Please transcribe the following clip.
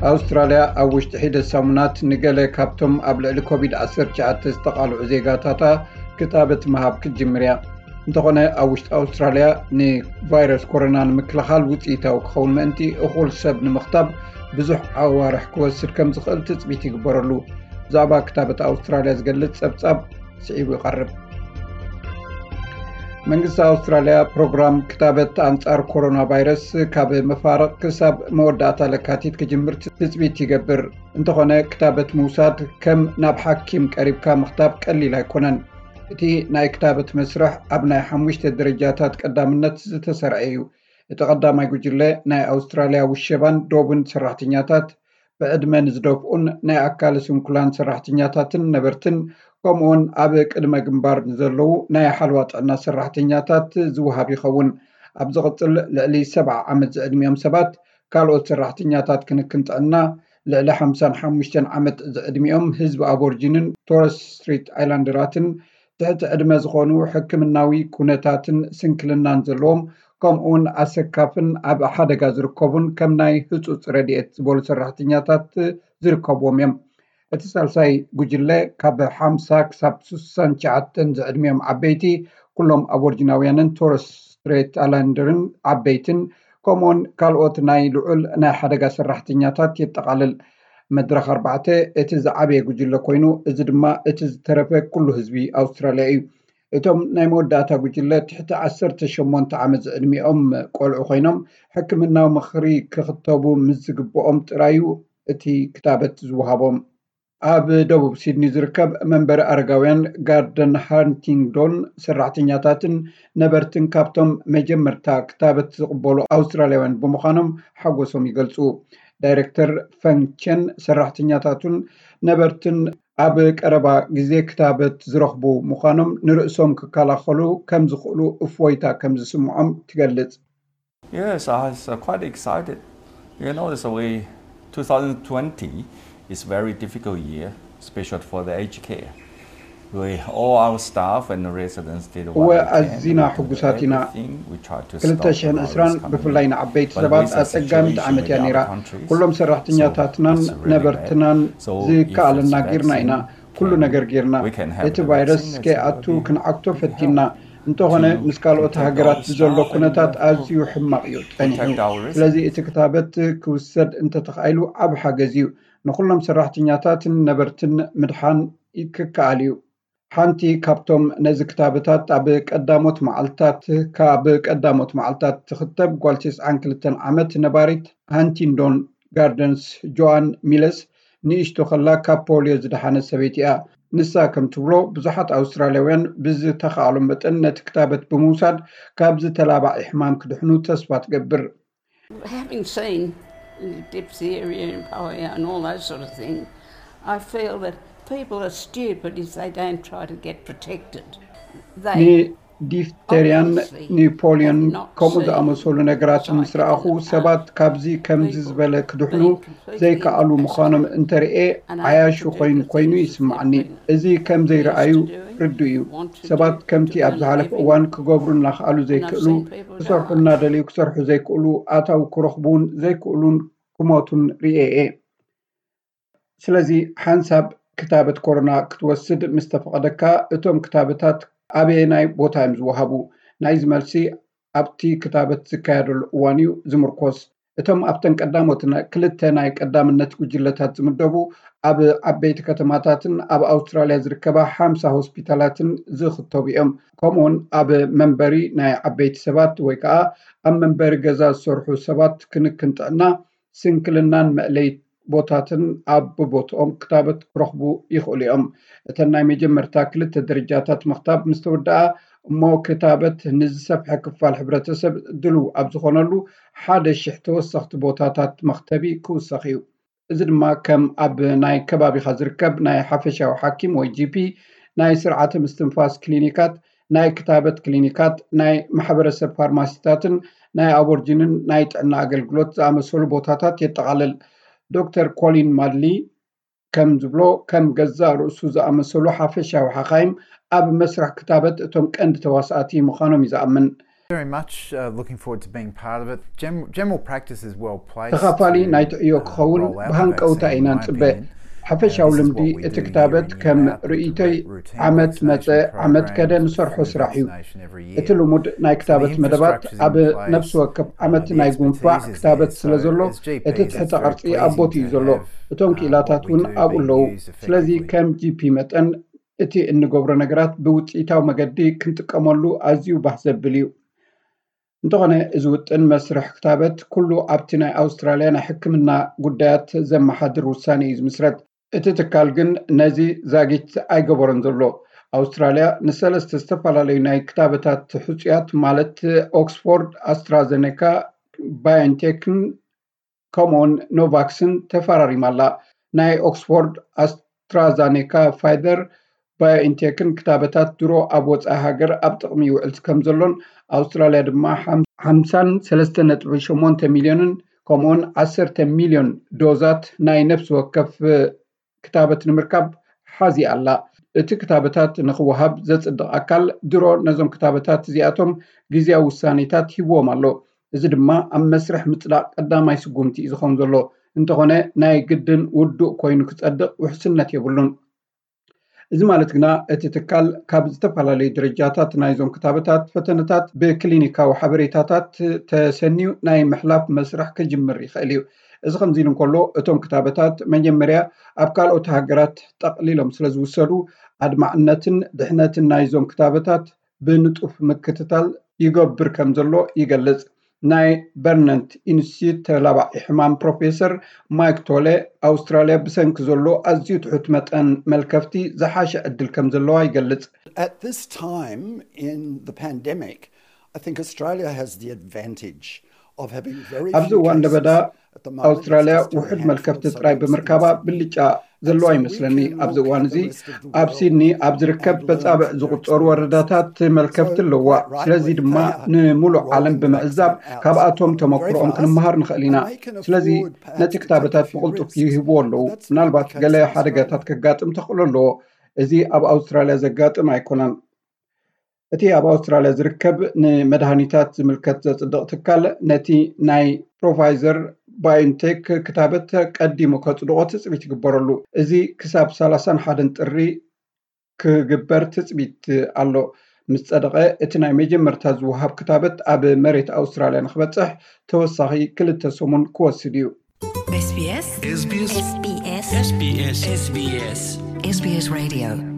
ኣውስትራልያ ኣብ ውሽጢ ሒደት ሰሙናት ንገለ ካብቶም ኣብ ልዕሊ ኮቪድ ዓሰርተ ትሽዓተ ዝተቓልዑ ዜጋታታ ክታበት ምሃብ ክትጅምር እያ። እንተኾነ፣ ኣብ ውሽጢ ኣውስትራልያ ንቫይረስ ኮሮና ንምክልኻል ውፅኢታዊ ክኸውን ምእንቲ፣ እኹል ሰብ ንምኽታብ ብዙሕ ኣዋርሕ ክወስድ ከም ዝኽእል ትፅቢት ይግበረሉ። ብዛዕባ ክታበት ኣውስትራልያ ዝገልጽ ጸብጻብ ስዒቡ ይቐርብ። መንግስቲ ኣውስትራልያ ፕሮግራም ክታበት ኣንጻር ኮሮና ቫይረስ ካብ መፋርቕ ክሳብ መወዳእታ ለካቲት ክጅምር ትጽቢት ይገብር። እንተኾነ፣ ክታበት ምውሳድ ከም ናብ ሓኪም ቀሪብካ ምኽታብ ቀሊል ኣይኮነን። እቲ ናይ ክታበት መስርሕ ኣብ ናይ ሓሙሽተ ደረጃታት ቀዳምነት ዝተሰርዐ እዩ። እቲ ቀዳማይ ጉጅለ ናይ ኣውስትራልያ ውሸባን ዶብን ሰራሕተኛታት፣ ብዕድመ ንዝደፍኡን ናይ ኣካለ ስንኩላን ሰራሕተኛታትን ነበርትን፣ ከምኡውን ኣብ ቅድመ ግንባር ንዘለዉ ናይ ሓለዋ ጥዕና ሰራሕተኛታት ዝወሃብ ይኸውን። ኣብ ዝቕጽል፣ ልዕሊ ሰብዓ ዓመት ዝዕድሚኦም ሰባት፣ ካልኦት ሰራሕተኛታት ክንክን ጥዕና፣ ልዕሊ ሓምሳን ሓሙሽተን ዓመት ዝዕድሚኦም ህዝቢ ኣቦርጂንን ቶረስ ስትሪት ኣይላንደራትን፣ ትሕቲ ዕድመ ዝኾኑ፣ ሕክምናዊ ኩነታትን ስንክልናን ዘለዎም፣ ከምኡውን ኣሰካፍን ኣብ ሓደጋ ዝርከቡን ከም ናይ ህጹጽ ረድኤት ዝበሉ ሰራሕተኛታት ዝርከብዎም እዮም። እቲ ሳልሳይ ጉጅለ ካብ ሓምሳ ክሳብ ስሳን ትሽዓተን ዝዕድሚኦም ዓበይቲ፣ ኩሎም ኣቦርጂናውያንን ቶረስ ስትሬት ኣላንደርን ዓበይትን፣ ከምኡውን ካልኦት ናይ ልዑል ናይ ሓደጋ ሰራሕተኛታት የጠቓልል። መድረኽ ኣርባዕተ እቲ ዝዓበየ ጉጅለ ኮይኑ፣ እዚ ድማ እቲ ዝተረፈ ኩሉ ህዝቢ ኣውስትራልያ እዩ። እቶም ናይ መወዳእታ ጉጅለ ትሕቲ ዓሰርተ ሸሞንተ ዓመት ዝዕድሚኦም ቆልዑ ኮይኖም፣ ሕክምናዊ ምኽሪ ክኽተቡ ምስ ዝግብኦም ጥራዩ እቲ ክታበት ዝወሃቦም። ኣብ ደቡብ ሲድኒ ዝርከብ መንበሪ ኣረጋውያን ጋርደን ሃንቲንግዶን ሰራሕተኛታትን ነበርትን ካብቶም መጀመርታ ክታበት ዝቕበሉ ኣውስትራልያውያን ብምዃኖም ሓጎሶም ይገልጹ። ዳይሬክተር ፈንግ ቸን ሰራሕተኛታቱን ነበርትን ኣብ ቀረባ ግዜ ክታበት ዝረኽቡ ምዃኖም ንርእሶም ክከላኸሉ ከም ዝኽእሉ እፎይታ ከም ዝስምዖም ትገልጽ። Yes, I was uh, quite excited. You know, it's a way two thousand twenty is very difficult year, especially for the aged care. We, all our staff and residents did what እወ we can. ኣዚና ሕጉሳት ኢና። ክልተ ሽሕን ዕስራን ብፍላይ ንዓበይቲ ሰባት ኣጸጋሚት ዓመት እያ ነይራ። ኩሎም ሰራሕተኛታትናን ነበርትናን ዝከኣለና ጌርና ኢና። ኩሉ ነገር ጌርና። እቲ ቫይረስ ከይኣቱ ክንዓግቶ ፈቲና። እንተኾነ፣ ምስ ካልኦት ሃገራት ብዘሎ ኩነታት ኣዝዩ ሕማቕ እዩ ጸኒሑ። ስለዚ እቲ ክታበት ክውሰድ እንተተኻኢሉ ዓቢ ሓገዝ እዩ። ንኹሎም ሰራሕተኛታትን ነበርትን ምድሓን ክከኣል እዩ። ሓንቲ ካብቶም ነዚ ክታበታት ኣብ ቀዳሞት መዓልታት ካብ ቀዳሞት መዓልታት ትኽተብ ጓል ተስዓን ክልተን ዓመት ነባሪት ሃንቲንዶን ጋርደንስ ጆኣን ሚለስ ንእሽቶ ከላ ካብ ፖልዮ ዝደሓነት ሰበይቲ እያ። ንሳ ከም ትብሎ፣ ብዙሓት ኣውስትራልያውያን ብዝተኻእሎም መጠን ነቲ ክታበት ብምውሳድ ካብዚ ተላባዒ ሕማም ክድሕኑ ተስፋ ትገብር። Having seen the diphtheria and polio and all those sort of things, I feel that people are stupid if they don't try to get protected. They ንዲፍተሪያን ንፖሊዮን ከምኡ ዝኣመሰሉ ነገራት ምስ ረኣኹ፣ ሰባት ካብዚ ከምዚ ዝበለ ክድሕኑ ዘይከኣሉ ምዃኖም እንተርእየ፣ ዓያሹ ኮይኑ ኮይኑ ይስማዓኒ። እዚ ከም ዘይረኣዩ ርዱእ እዩ። ሰባት ከምቲ ኣብ ዝሓለፈ እዋን ክገብሩ እናኸኣሉ ዘይክእሉ፣ ክሰርሑ እናደለዩ ክሰርሑ ዘይክእሉ፣ ኣታዊ ክረኽቡ እውን ዘይክእሉን ክሞቱን ርእየ እየ። ስለዚ ሓንሳብ ክታበት ኮሮና ክትወስድ ምስ ተፈቐደካ፣ እቶም ክታበታት ኣበየናይ ቦታ እዮም ዝወሃቡ? ናይዚ መልሲ ኣብቲ ክታበት ዝካየደሉ እዋን እዩ ዝምርኮስ። እቶም ኣብተን ቀዳሞት ክልተ ናይ ቀዳምነት ጉጅለታት ዝምደቡ ኣብ ዓበይቲ ከተማታትን ኣብ ኣውስትራልያ ዝርከባ ሓምሳ ሆስፒታላትን ዝኽተቡ እዮም። ከምኡውን ኣብ መንበሪ ናይ ዓበይቲ ሰባት ወይ ከዓ ኣብ መንበሪ ገዛ ዝሰርሑ ሰባት ክንክን ጥዕና፣ ስንክልናን መእለይት ቦታትን ኣብ ብቦትኦም ክታበት ክረኽቡ ይኽእሉ እዮም። እተን ናይ መጀመርታ ክልተ ደረጃታት ምኽታብ ምስ ተወደኣ እሞ ክታበት ንዝሰፍሐ ክፋል ሕብረተሰብ ድልው ኣብ ዝኾነሉ ሓደ ሽሕ ተወሰኽቲ ቦታታት መኽተቢ ክውሰኽ እዩ። እዚ ድማ ከም ኣብ ናይ ከባቢኻ ዝርከብ ናይ ሓፈሻዊ ሓኪም ወይ ጂ ፒ፣ ናይ ስርዓተ ምስትንፋስ ክሊኒካት፣ ናይ ክታበት ክሊኒካት፣ ናይ ማሕበረሰብ ፋርማሲታትን ናይ ኣቦርጂንን ናይ ጥዕና ኣገልግሎት ዝኣመሰሉ ቦታታት የጠቓልል። ዶክተር ኮሊን ማድሊ ከም ዝብሎ፣ ከም ገዛእ ርእሱ ዝኣመሰሉ ሓፈሻዊ ሓኻይም ኣብ መስርሕ ክታበት እቶም ቀንዲ ተዋሳእቲ ምዃኖም እዩ ዝኣምን። Very much uh, looking forward to being part of it. Gen- general practice is well placed. ተኻፋሊ to, ናይ ትዕዮ uh, ክኸውን roll out the ብሃንቀውታ vaccine, ኢና in my ንጽበ። opinion. ሓፈሻዊ Uh, this is ልምዲ what we እቲ do ክታበት year in, ከም year out. The ርእይቶይ routine ዓመት መጸ vaccination ዓመት ከደ program, ንሰርሖ the ስራሕ እዩ። vaccination every እቲ year. ልሙድ ናይ ክታበት The መደባት infrastructure is ኣብ in place. ነፍሲ ወከፍ ዓመት Uh, the ናይ ጉንፋዕ expertise is ክታበት there. ስለ So ዘሎ as G Ps, እቲ it's ትሕተ very ቅርጺ ኣብ pleasing ቦትኡ እዩ to ዘሎ። have, እቶም uh, ክኢላታት what we እውን do ኣብኡ being ኣለዉ። used ስለዚ effectively. ከም ጂ ፒ መጠን እቲ እንገብሮ ነገራት ብውፅኢታዊ መገዲ ክንጥቀመሉ ኣዝዩ ባህ ዘብል እዩ። እንተኾነ እዚ ውጥን መስርሕ ክታበት ኩሉ ኣብቲ ናይ ኣውስትራልያ ናይ ሕክምና ጉዳያት ዘመሓድር ውሳኔ እዩ ዝምስረት። እቲ ትካል ግን ነዚ ዛጊት ኣይገበሮን ዘሎ። ኣውስትራልያ ንሰለስተ ዝተፈላለዩ ናይ ክታበታት ሕፁያት ማለት ኦክስፎርድ፣ ኣስትራዘኔካ፣ ባዮንቴክን ከምኡውን ኖቫክስን ተፈራሪማ ኣላ። ናይ ኦክስፎርድ፣ ኣስትራዛኔካ፣ ፋይዘር፣ ባዮኢንቴክን ክታበታት ድሮ ኣብ ወፃኢ ሃገር ኣብ ጥቕሚ ይውዕል ከም ዘሎን ኣውስትራልያ ድማ ሓምሳን ሰለስተ ነጥቢ ሸሞንተ ሚልዮንን ከምኡውን ዓሰርተ ሚልዮን ዶዛት ናይ ነፍሲ ወከፍ ክታበት ንምርካብ ሓዚ ኣላ። እቲ ክታበታት ንክወሃብ ዘፅድቕ ኣካል ድሮ ነዞም ክታበታት እዚኣቶም ግዜያዊ ውሳኔታት ሂብዎም ኣሎ። እዚ ድማ ኣብ መስርሕ ምፅዳቕ ቀዳማይ ስጉምቲ እዩ ዝኸውን ዘሎ። እንተኾነ ናይ ግድን ውዱእ ኮይኑ ክፀድቕ ውሕስነት የብሉን። እዚ ማለት ግና እቲ ትካል ካብ ዝተፈላለዩ ደረጃታት ናይዞም ክታበታት ፈተነታት ብክሊኒካዊ ሓበሬታታት ተሰንዩ ናይ ምሕላፍ መስርሕ ክጅምር ይኽእል እዩ። እዚ ከምዚ ኢሉ እንከሎ እቶም ክታበታት መጀመርያ ኣብ ካልኦት ሃገራት ጠቕሊሎም ስለ ዝውሰዱ ኣድማዕነትን ድሕነትን ናይዞም ክታበታት ብንጡፍ ምክትታል ይገብር ከም ዘሎ ይገልጽ። ናይ በርነንት ኢንስቲትዩት ተላባዒ ሕማም ፕሮፌሰር ማይክ ቶለ ኣውስትራልያ ብሰንኪ ዘሎ ኣዝዩ ትሑት መጠን መልከፍቲ ዝሓሸ ዕድል ከም ዘለዋ ይገልጽ። At this time in the pandemic, I think Australia has the advantage of having very ኣብዚ እዋን ለበዳ ኣውስትራልያ ውሑድ መልከፍቲ ጥራይ ብምርካባ ብልጫ ዘለዋ ይመስለኒ። ኣብዚ እዋን እዚ ኣብ ሲድኒ ኣብ ዝርከብ በጻብዕ ዝቁጸሩ ወረዳታት መልከፍቲ ኣለዋ። ስለዚ ድማ ንምሉእ ዓለም ብምዕዛብ ካብኣቶም ተመክሮኦም ክንመሃር ንኽእል ኢና። ስለዚ ነቲ ክታበታት ብቕልጡፍ ይህብዎ ኣለዉ። ምናልባት ገለ ሓደጋታት ከጋጥም ተኽእሎ ኣለዎ። እዚ ኣብ ኣውስትራልያ ዘጋጥም ኣይኮነን። እቲ ኣብ ኣውስትራልያ ዝርከብ ንመድሃኒታት ዝምልከት ዘጽድቕ ትካል ነቲ ናይ ፕሮፋይዘር ባዮንቴክ ክታበት ቀዲሙ ከጽድቖ ትጽቢት ይግበረሉ። እዚ ክሳብ ሰላሳን ሓደን ጥሪ ክግበር ትጽቢት ኣሎ። ምስ ጸደቐ እቲ ናይ መጀመርታ ዝወሃብ ክታበት ኣብ መሬት ኣውስትራልያ ንክበጽሕ ተወሳኺ ክልተ ሰሙን ክወስድ እዩ። SBS SBS SBS SBS SBS SBS Radio